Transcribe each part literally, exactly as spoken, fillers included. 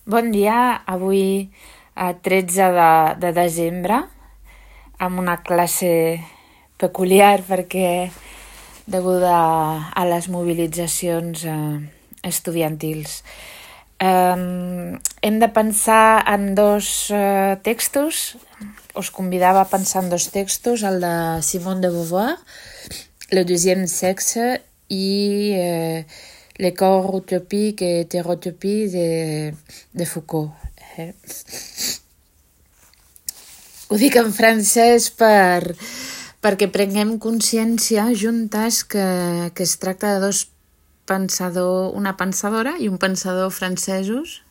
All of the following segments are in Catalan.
Bon dia, avui a tretze de, de desembre, amb una classe peculiar perquè deguda a les mobilitzacions eh, estudiantils. Eh, hem de pensar en dos eh, textos. Us convidava a pensar en dos textos, el de Simone de Beauvoir, Le deuxième sexe, i eh, Les corps utopiques et hétérotopies de, de Foucault. Eh? Ho dic en francès per, perquè prenguem consciència juntes que, que es tracta de dos pensadors, una pensadora i un pensador francesos,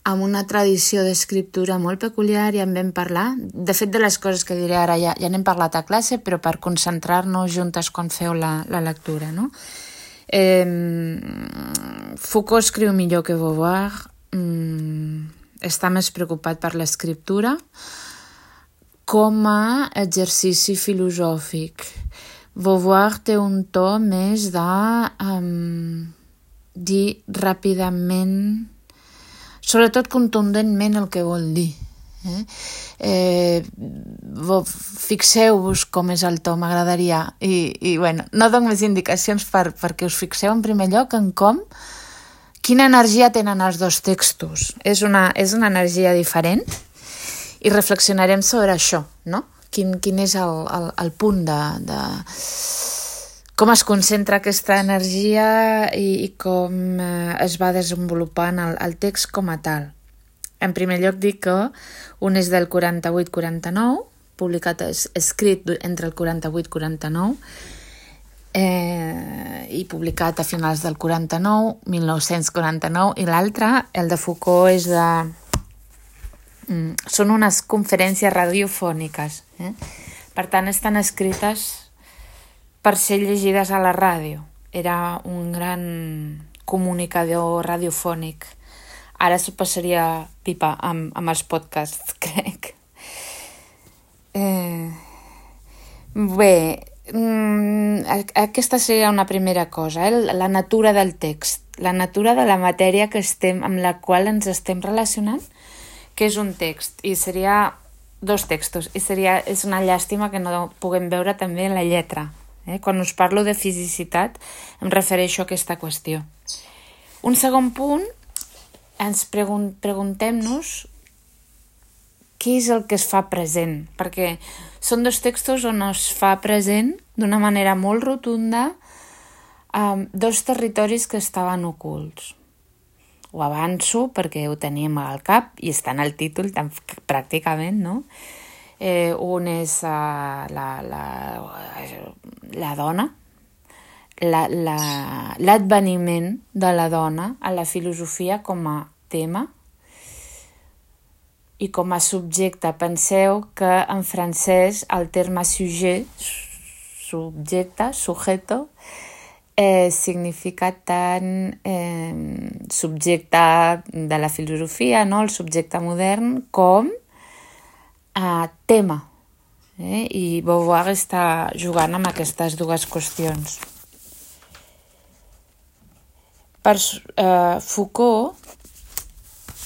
amb una tradició d'escriptura molt peculiar, i en vam parlar. De fet, de les coses que diré ara ja, ja n'hem parlat a classe, però per concentrar-nos juntes quan feu la, la lectura, no? Eh, Foucault escriu millor que Beauvoir, mm, està més preocupat per l'escriptura com a exercici filosòfic. Beauvoir té un to més de um, dir ràpidament, sobretot contundentment, el que vol dir. Eh? Eh, fixeu-vos com és el to, m'agradaria, i, i bueno, no dono més indicacions per, perquè us fixeu en primer lloc en com, quina energia tenen els dos textos. És una, és una energia diferent i reflexionarem sobre això, no? Quin, quin és el, el, el punt de, de com es concentra aquesta energia i, i com eh, es va desenvolupant el, el text com a tal. En primer lloc dic que un és del quaranta-vuit quaranta-nou, publicat, escrit entre el quaranta-vuit quaranta-nou, eh, i publicat a finals del quaranta-nou, mil nou-cents quaranta-nou, i l'altre, el de Foucault, és de... Mm, són unes conferències radiofòniques. Eh? Per tant, estan escrites per ser llegides a la ràdio. Era un gran comunicador radiofònic. Ara s'ho passaria pipa amb, amb els podcasts, crec. Eh, bé, mm, aquesta seria una primera cosa, eh? La natura del text, la natura de la matèria que estem, amb la qual ens estem relacionant, que és un text, i seria dos textos, i seria, és una llàstima que no puguem veure també la lletra. Eh? Quan us parlo de fisicitat, em refereixo a aquesta qüestió. Un segon punt, ens pregun- preguntem-nos què és el que es fa present, perquè són dos textos on es fa present d'una manera molt rotunda um, dos territoris que estaven ocults. Ho avanço perquè ho teníem al cap i està en el títol tan, pràcticament, no? Eh, un és uh, la, la, la dona, La, la, l'adveniment de la dona a la filosofia com a tema i com a subjecte. Penseu que en francès el terme sujet, subjecte, sujeto, eh, significa tant eh, subjecte de la filosofia, no? El subjecte modern, com eh, tema. Eh? I Beauvoir està jugant amb aquestes dues qüestions. Per uh, Foucault,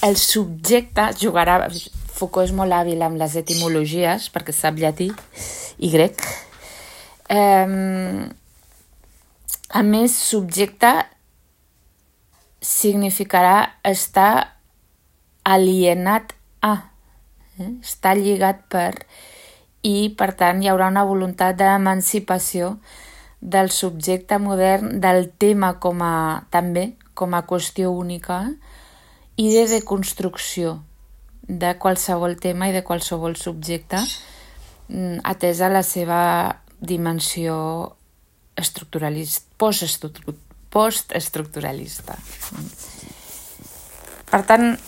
el subjecte jugarà... Foucault és molt hàbil amb les etimologies, perquè sap llatí i grec. Um, a més, subjecte significarà estar alienat a, eh? Estar lligat per, i per tant hi haurà una voluntat d'emancipació del subjecte modern, del tema com a, també com a qüestió única, i de deconstrucció de qualsevol tema i de qualsevol subjecte, atesa la seva dimensió estructuralista, postestructuralista. Per tant,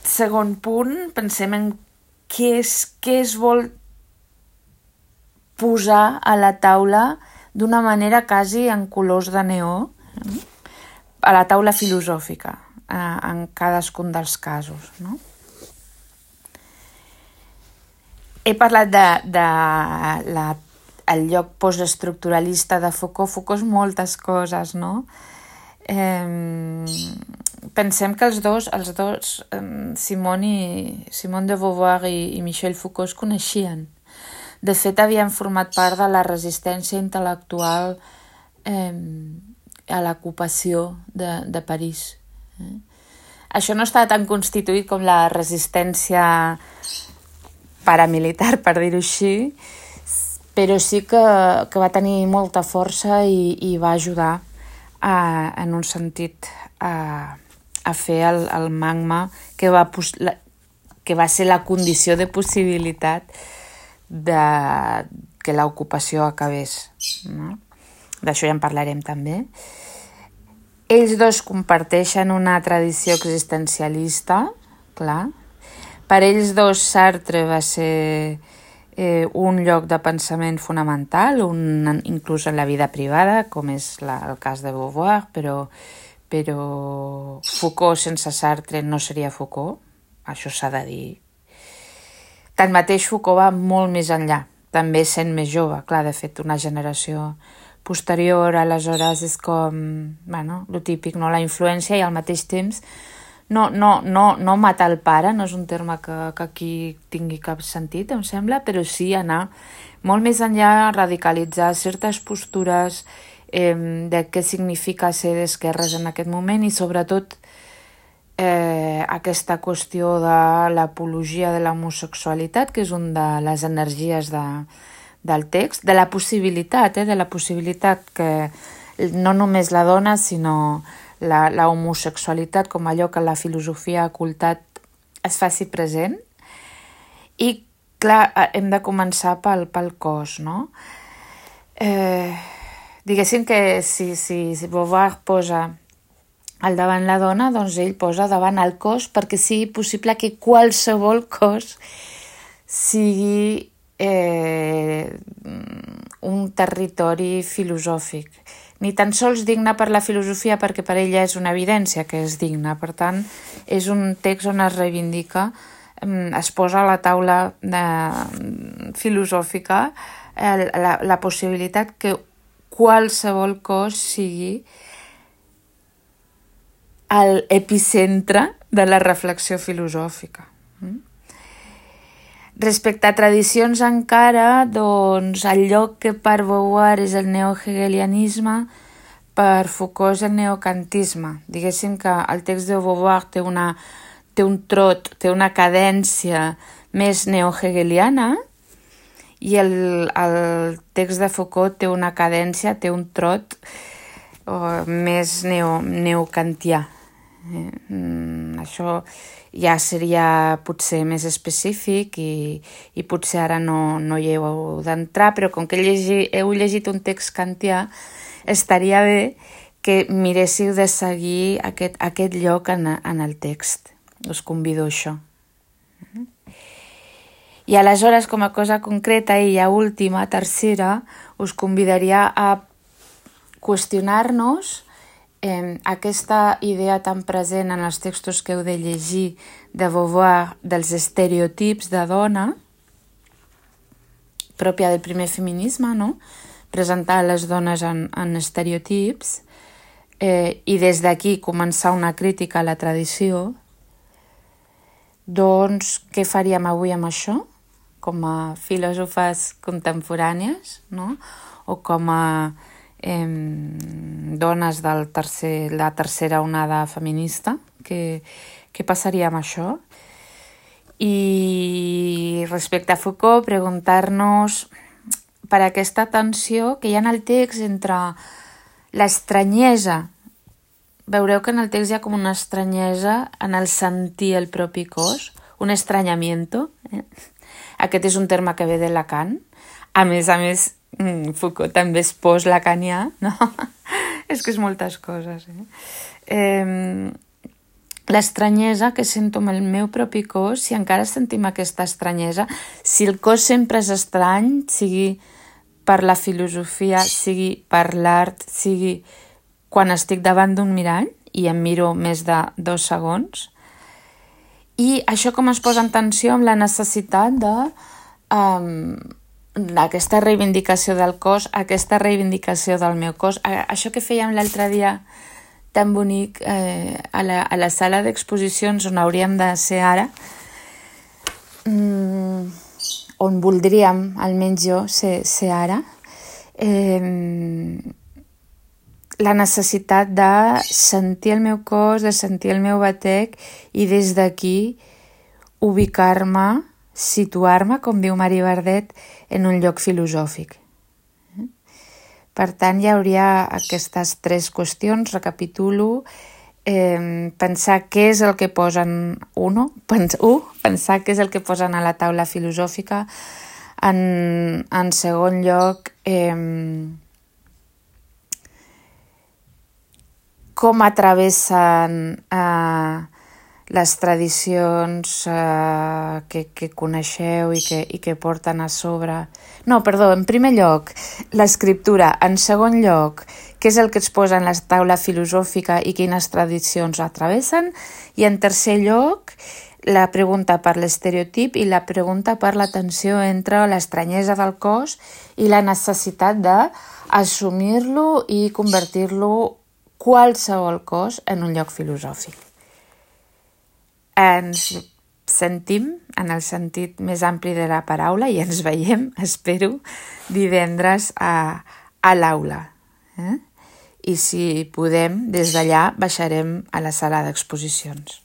segon punt, pensem en què és, què es vol posar a la taula d'una manera quasi en colors de neó, a la taula filosòfica, en cadascun dels casos, no? He parlat de, de la, el lloc postestructuralista de Foucault. Foucault és moltes coses, no? Eh, pensem que els dos, els dos Simone, i, Simone de Beauvoir i, i Michel Foucault es coneixien. De fet, havien format part de la resistència intel·lectual eh, a l'ocupació de, de París. Eh? Això no està tan constituït com la resistència paramilitar, per dir-ho així, però sí que, que va tenir molta força i, i va ajudar a, en un sentit a, a fer el, el magma que va, la, que va ser la condició de possibilitat de que l'ocupació acabés. No? D'això ja en parlarem també. Ells dos comparteixen una tradició existencialista, clar. Per ells dos Sartre va ser eh, un lloc de pensament fonamental, un, inclús en la vida privada, com és la, el cas de Beauvoir, però, però Foucault sense Sartre no seria Foucault, això s'ha de dir. Tanmateix Foucault va molt més enllà, també sent més jove, clar, de fet una generació posterior, aleshores és com, bueno, lo típic, no? La influència i al mateix temps no, no, no, no matar el pare, no és un terme que, que aquí tingui cap sentit, em sembla, però sí anar molt més enllà, radicalitzar certes postures eh, de què significa ser d'esquerres en aquest moment i sobretot eh, aquesta qüestió de l'apologia de l'homosexualitat, que és una de les energies de, del text, de la possibilitat, eh, de la possibilitat que no només la dona, sinó la, la homosexualitat com allò que la filosofia ha ocultat es faci present. I, clar, hem de començar pel, pel cos, no? Eh, diguéssim que si, si, si Beauvoir posa al davant la dona, doncs ell posa davant el cos perquè sigui possible que qualsevol cos sigui eh, un territori filosòfic. Ni tan sols digne per la filosofia perquè per ella és una evidència que és digna. Per tant, és un text on es reivindica, es posa a la taula de, filosòfica eh, la, la possibilitat que qualsevol cos sigui l'epicentre de la reflexió filosòfica. Respecte a tradicions encara, doncs el lloc que per Beauvoir és el neohegelianisme, per Foucault és el neocantisme. Diguéssim que el text de Beauvoir té, una, té un trot, té una cadència més neohegeliana i el, el text de Foucault té una cadència, té un trot oh, més neo, neocantià. Eh? Mm, això ja seria potser més específic i, i potser ara no, no hi heu d'entrar, però com que llegi, heu llegit un text kantià, estaria bé que miréssiu de seguir aquest, aquest lloc en, en el text. Us convido a això. I aleshores, com a cosa concreta i ja última, tercera, us convidaria a qüestionar-nos Eh, aquesta idea tan present en els textos que heu de llegir de Beauvoir dels estereotips de dona, pròpia del primer feminisme, no? Presentar les dones en, en estereotips eh, i des d'aquí començar una crítica a la tradició, doncs què faríem avui amb això? Com a filòsofes contemporànies, no? O com a Eh, dones del tercer, la tercera onada feminista, què, què passaria amb això? I respecte a Foucault, preguntar-nos per aquesta tensió que hi ha en el text entre l'estranyesa. Veureu que en el text hi ha com una estranyesa en el sentir el propi cos, un estranyamiento. Eh? Aquest és un terme que ve de Lacan. A més a més, Foucault també es pos lacanià, no? És que és moltes coses. Eh? Eh, l'estranyesa que sento amb el meu propi cos, si encara sentim aquesta estranyesa, si el cos sempre és estrany, sigui per la filosofia, sigui per l'art, sigui quan estic davant d'un mirall i em miro més de dos segons, i això com es posa en tensió amb la necessitat de... Um, aquesta reivindicació del cos, aquesta reivindicació del meu cos, això que fèiem l'altre dia tan bonic eh, a, la, a la sala d'exposicions on hauríem de ser ara, mm, on voldríem, almenys jo, ser, ser ara, eh, la necessitat de sentir el meu cos, de sentir el meu batec i des d'aquí ubicar-me, situar-me, com diu Mari Bardet, en un lloc filosòfic. Per tant, hi hauria aquestes tres qüestions, recapitulo, eh, pensar què és el que posen, uno, pens, uh, pensar què és el que posen a la taula filosòfica, en, en segon lloc, eh, com atravessen eh, les tradicions eh, que, que coneixeu i que, i que porten a sobre. No, perdó, en primer lloc, l'escriptura. En segon lloc, què és el que es posa en la taula filosòfica i quines tradicions la travessen. I en tercer lloc, la pregunta per l'estereotip i la pregunta per la tensió entre l'estranyesa del cos i la necessitat d'assumir-lo i convertir-lo qualsevol cos en un lloc filosòfic. Ens sentim, en el sentit més ampli de la paraula, i ens veiem, espero, divendres a, a l'aula. Eh? I si podem, des d'allà baixarem a la sala d'exposicions.